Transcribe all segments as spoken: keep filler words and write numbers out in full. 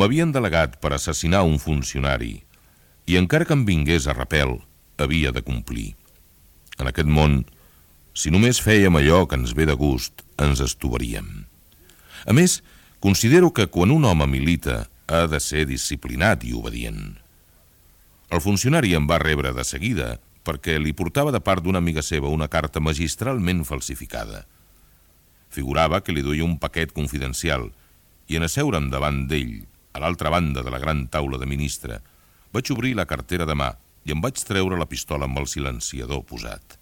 M'havien delegat per assassinar un funcionari i encara que em vingués a repel, havia de complir. En aquest món, si només fèiem allò que ens ve de gust, ens estovaríem. A més, considero que quan un home milita ha de ser disciplinat i obedient. El funcionari em va rebre de seguida perquè li portava de part d'una amiga seva una carta magistralment falsificada. Figurava que li duia un paquet confidencial i en asseure'm davant d'ell, a l'altra banda de la gran taula de ministre, vaig obrir la cartera de mà i em vaig treure la pistola amb el silenciador posat.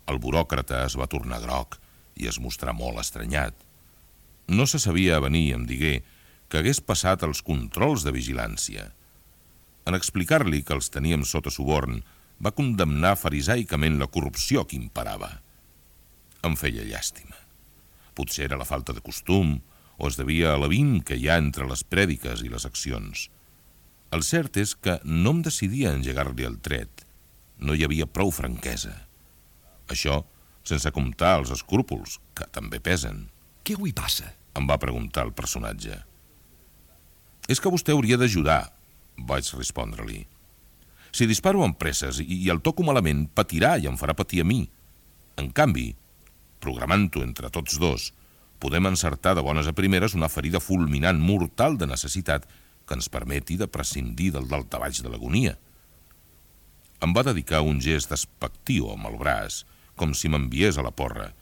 El buròcrata es va tornar groc i es mostrà molt estranyat. No se sabia venir, em digué, que hagués passat els controls de vigilància. En explicar-li que els teníem sota suborn, va condemnar farisaicament la corrupció que imperava. Em feia llàstima. Potser era la falta de costum o es devia a l'avint que hi ha entre les prèdiques i les accions. El cert és que no em decidia a engegar-li el tret. No hi havia prou franquesa. Això sense comptar els escrúpols, que també pesen. Què avui passa? Em va preguntar el personatge. És que vostè hauria d'ajudar, vaig respondre-li. Si disparo amb presses i el toco malament, patirà i em farà patir a mi. En canvi, programant-ho entre tots dos, podem encertar de bones a primeres una ferida fulminant mortal de necessitat que ens permeti de prescindir del daltabaix de l'agonia. Em va dedicar un gest despectiu amb el braç, com si m'enviés a la porra,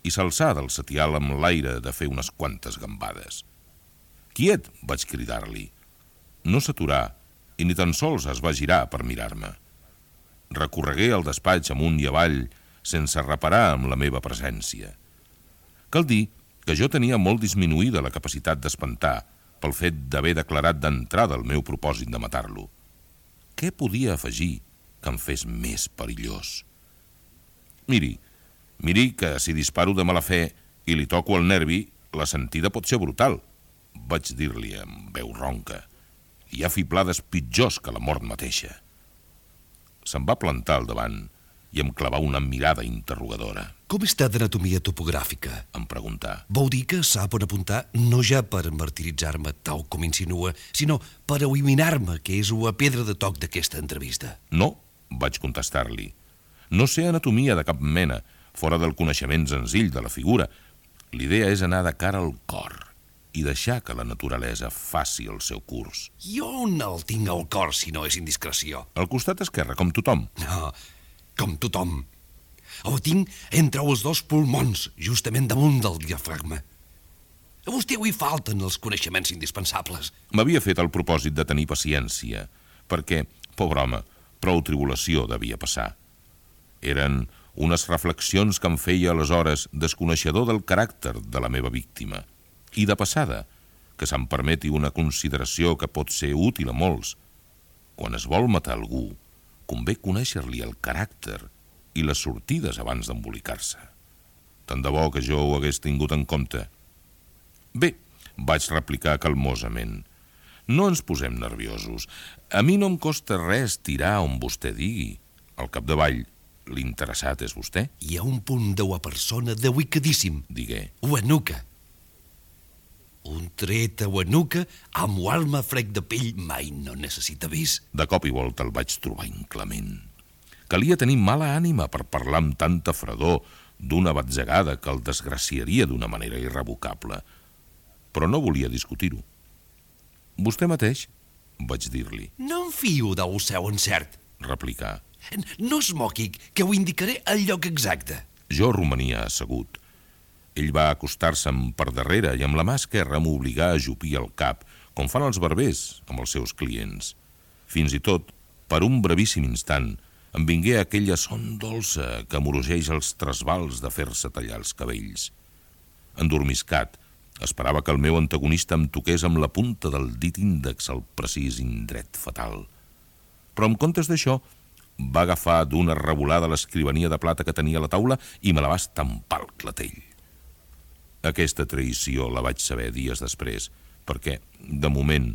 i s'alçà del setial amb l'aire de fer unes quantes gambades. «Quiet!», vaig cridar-li. No s'aturà i ni tan sols es va girar per mirar-me. Recorregué el despatx amunt i avall sense reparar amb la meva presència. Cal dir que jo tenia molt disminuïda la capacitat d'espantar pel fet d'haver declarat d'entrada el meu propòsit de matar-lo. Què podia afegir que em fes més perillós? Miri, miri que si disparo de mala fe i li toco el nervi, la sentida pot ser brutal, vaig dir-li amb veu ronca. Hi ha fiblades pitjors que la mort mateixa. Se'm va plantar al davant i em clavà una mirada interrogadora. Com està d'anatomia topogràfica? Em preguntà. Vol dir que sap on apuntar no ja per martiritzar-me, tal com insinua, sinó per eliminar-me, que és la pedra de toc d'aquesta entrevista. No, vaig contestar-li. No sé anatomia de cap mena, fora del coneixement senzill de la figura. L'idea és anar de cara al cor i deixar que la naturalesa faci el seu curs. Jo on el tinc al cor, si no és indiscreció? Al costat esquerre, com tothom. No, com tothom. El tinc entre els dos pulmons, justament damunt del diafragma. A vostè avui falten els coneixements indispensables. M'havia fet el propòsit de tenir paciència, perquè, pobre home, prou tribulació devia passar. Eren unes reflexions que em feia aleshores desconeixedor del caràcter de la meva víctima. I de passada, que se'm permeti una consideració que pot ser útil a molts. Quan es vol matar algú, convé conèixer-li el caràcter i les sortides abans d'embolicar-se. Tant de bo que jo ho hagués tingut en compte. Bé, vaig replicar calmosament. No ens posem nerviosos. A mi no em costa res tirar on vostè digui. Al capdavall, l'interessat és vostè? Hi ha un punt de la persona delicadíssim. Digué. La nuca. Un tret a la nuca amb l'alma frec de pell mai no necessita vis. De cop i volta el vaig trobar inclement. Calia tenir mala ànima per parlar amb tanta fredor d'una batzegada que el desgraciaria d'una manera irrevocable. Però no volia discutir-ho. Vostè mateix, vaig dir-li. No em fio del seu encert, replicà. No es moqui, que ho indicaré al lloc exacte. Jo romania assegut. Ell va acostar-se'm per darrere i amb la mà esquerra m'obligà a ajupir el cap, com fan els barbers amb els seus clients. Fins i tot, per un brevíssim instant, em vingué aquella son dolça que amorogeix els trasbals de fer-se tallar els cabells. Endormiscat, esperava que el meu antagonista em toqués amb la punta del dit índex al precís indret fatal. Però en comptes d'això, va agafar d'una revolada l'escrivania de plata que tenia a la taula i me la va estampar al clatell. Aquesta traïció la vaig saber dies després, perquè, de moment,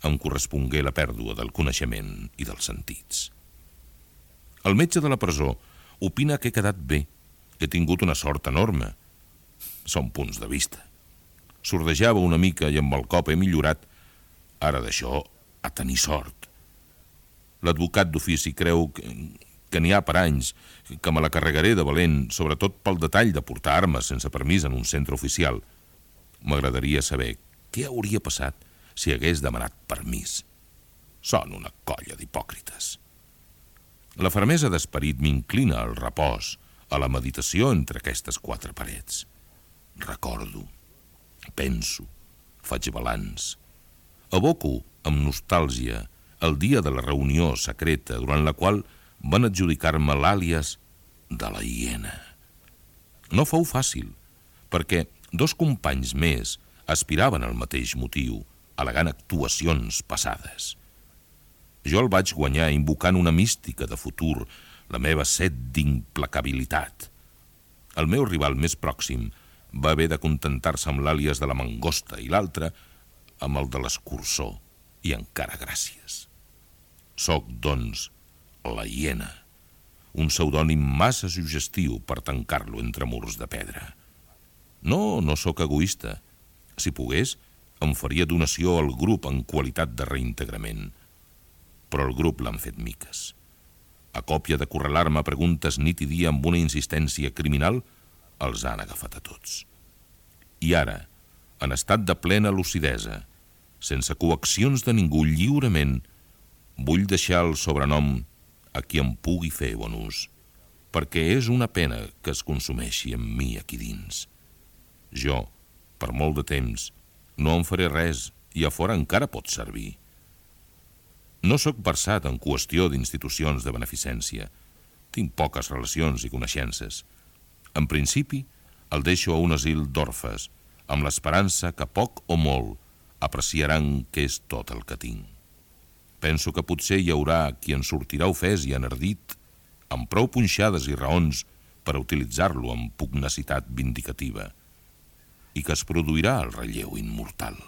em correspongué la pèrdua del coneixement i dels sentits. El metge de la presó opina que he quedat bé, que he tingut una sort enorme. Són punts de vista. Sordejava una mica i amb el cop he millorat, Ara d'això, a tenir sort. L'advocat d'ofici creu que, que n'hi ha per anys, que me la carregaré de valent, sobretot pel detall de portar armes sense permís en un centre oficial. M'agradaria saber què hauria passat si hagués demanat permís. Són una colla d'hipòcrites. La fermesa d'esperit m'inclina al repòs, a la meditació entre aquestes quatre parets. Recordo, penso, faig balanç. Evoco amb nostàlgia el dia de la reunió secreta durant la qual van adjudicar-me l'àlies de la hiena. No fou fàcil, perquè dos companys més aspiraven al mateix motiu, al·legant actuacions passades. Jo el vaig guanyar invocant una mística de futur, la meva set d'implacabilitat. El meu rival més pròxim va haver de contentar-se amb l'àlies de la mangosta i l'altre amb el de l'escurçó, i encara gràcies. Soc, doncs, la hiena, un pseudònim massa suggestiu per tancar-lo entre murs de pedra. No, no sóc egoista. Si pogués, em faria donació al grup en qualitat de reintegrament. Però el grup l'han fet miques. A còpia de correlar-me preguntes nit i dia amb una insistència criminal, els han agafat a tots. I ara, en estat de plena lucidesa, sense coaccions de ningú, lliurement, vull deixar el sobrenom a qui em pugui fer bon ús, perquè és una pena que es consumeixi amb mi aquí dins. Jo, per molt de temps, no en faré res i a fora encara pot servir. No sóc versat en qüestió d'institucions de beneficència. Tinc poques relacions i coneixences. En principi, el deixo a un asil d'orfes, amb l'esperança que poc o molt apreciaran què és tot el que tinc. Penso que potser hi haurà qui en sortirà ofès i enardit, amb prou punxades i raons per a utilitzar-lo amb pugnacitat vindicativa, i que es produirà el relleu immortal.